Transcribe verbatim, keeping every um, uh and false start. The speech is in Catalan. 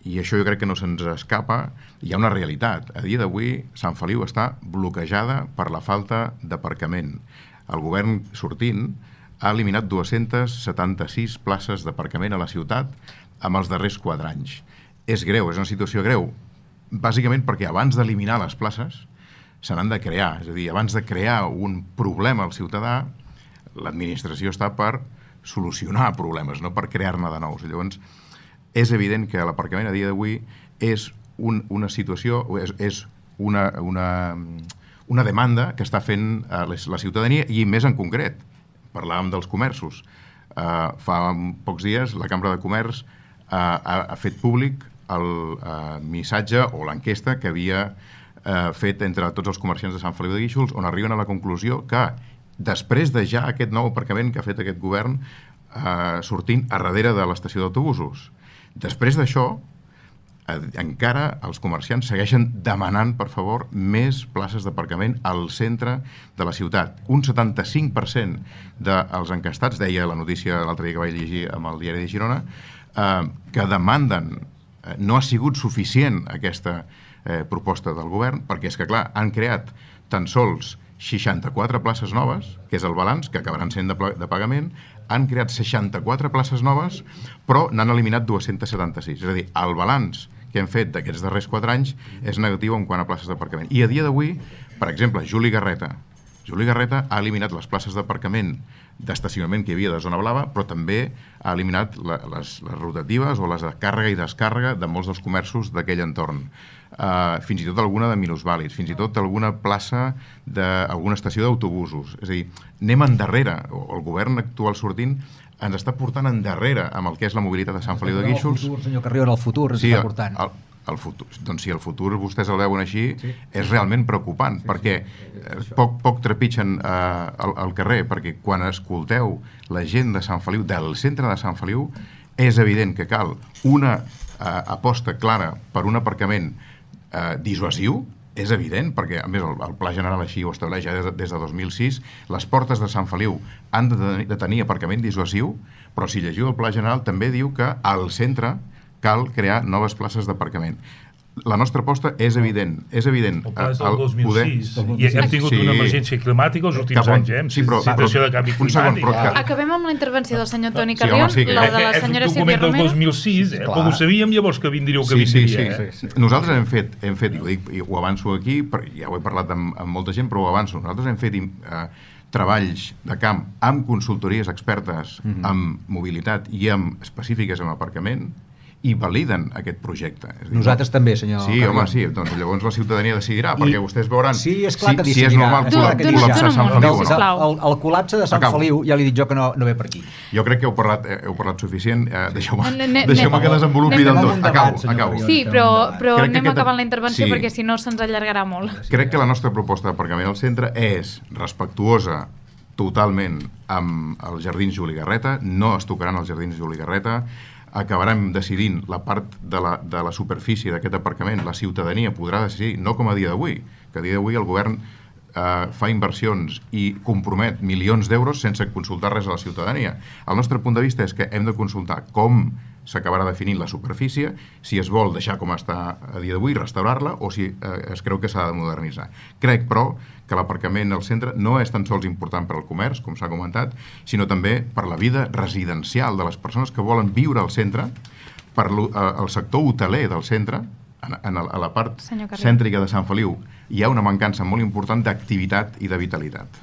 i això jo crec que no se'ns escapa, hi ha una realitat. A dia d'avui, Sant Feliu està bloquejada per la falta d'aparcament. El govern sortint ha eliminat dues-centes setanta-sis places d'aparcament a la ciutat amb els darrers quatre anys. És greu, és una situació greu, bàsicament perquè abans d'eliminar les places se n'han de crear. És a dir, abans de crear un problema al ciutadà, l'administració està per solucionar problemes, no per crear-ne de nous. Llavors, és evident que l'aparcament a dia d'avui és un, una situació, és, és una, una, una demanda que està fent uh, la ciutadania, i més en concret. Parlàvem dels comerços. Uh, fa pocs dies la Cambra de Comerç uh, ha, ha fet públic el uh, missatge o l'enquesta que havia uh, fet entre tots els comerciants de Sant Feliu de Guíxols, on arriben a la conclusió que després de ja aquest nou aparcament que ha fet aquest govern uh, sortint a darrere de l'estació d'autobusos, després d'això encara els comerciants segueixen demanant, per favor, més places d'aparcament al centre de la ciutat. Un setanta-cinc per cent dels encastats, deia la notícia l'altre dia que vaig llegir amb el diari de Girona, eh, que demanden, eh, no ha sigut suficient aquesta eh, proposta del govern, perquè és que, clar, han creat tan sols seixanta-quatre places noves, que és el balanç, que acabaran sent de, de pagament, han creat seixanta-quatre places noves, però n'han eliminat dues-centes setanta-sis. És a dir, el balanç que hem fet d'aquests darrers quatre anys és negatiu en quant a places d'aparcament. I a dia d'avui, per exemple, Juli Garreta. Juli Garreta ha eliminat les places d'aparcament d'estacionament que hi havia de zona blava, però també ha eliminat la, les, les rotatives o les de càrrega i descàrrega de molts dels comerços d'aquell entorn. Uh, fins i tot alguna de minusvàlids, fins i tot alguna plaça d'alguna estació d'autobusos. És a dir, anem endarrere, o el govern actual sortint ens està portant endarrere amb el que és la mobilitat de Sant Feliu de Guíxols. El futur, senyor Carrió, el futur ens sí, està portant. El, el futur, doncs si el futur vostès el veuen així, sí, és realment preocupant, sí, perquè sí, poc, poc trepitgen eh, al, al carrer, perquè quan escolteu la gent de Sant Feliu, del centre de Sant Feliu, és evident que cal una eh, aposta clara per un aparcament eh, dissuasiu. És evident, perquè a més el, el Pla General així ho estableix ja des, des de dos mil sis, les portes de Sant Feliu han de, de tenir aparcament dissuasiu, però si llegiu el Pla General també diu que al centre cal crear noves places d'aparcament. La nostra aposta és evident. És evident. El pla és del dos mil sis. I hem tingut sí. una emergència climàtica els últims Cap, anys, eh? Sí, però, situació de canvi climàtic. Segon, que... Acabem amb la intervenció del senyor Toni Carrió, sí, home, sí, la de la senyora Sílvia Romero. És un document del dos mil sis, eh? Però ho sabíem llavors que vindríeu que sí, vindria. Sí, sí, eh? sí, sí. Nosaltres hem fet, hem fet i, ho dic, i ho avanço aquí, ja ho he parlat amb, amb molta gent, però ho avanço. Nosaltres hem fet eh, treballs de camp amb consultories expertes mm-hmm. amb mobilitat i amb específiques en aparcament, i validen aquest projecte. És dir, nosaltres no? també, senyor Sí, Carrió. home, sí. Doncs llavors la ciutadania decidirà, I... perquè vostès veuran sí, és clar que si, si és normal tu, tu, col·lapsar tu, Sant Feliu o no. El, el col·lapse de Sant Acabo. Feliu, ja li dic jo que no, no ve per aquí. Jo crec que heu parlat, heu parlat suficient. Eh, Deixeu-me ne, deixeu que desenvolupi del tot. Acabo, acabo. Sí, però, però anem aquesta... acabant la intervenció sí. perquè si no se'ns allargarà molt. Crec que la nostra proposta d'aparcament al centre és respectuosa totalment amb els jardins Juli Garreta, no es tocaran els jardins Juli Garreta, acabarem decidint la part de la, de la superfície d'aquest aparcament, la ciutadania podrà decidir, no com a dia d'avui, que a dia d'avui el govern eh, fa inversions i compromet milions d'euros sense consultar res a la ciutadania. El nostre punt de vista és que hem de consultar com s'acabarà definint la superfície, si es vol deixar com està a dia d'avui, restaurar-la, o si eh, es creu que s'ha de modernitzar. Crec, però, que l'aparcament al centre no és tan sols important per al comerç, com s'ha comentat, sinó també per la vida residencial de les persones que volen viure al centre, per al sector hoteler del centre, en, en a la part cèntrica de Sant Feliu, hi ha una mancança molt important d'activitat i de vitalitat.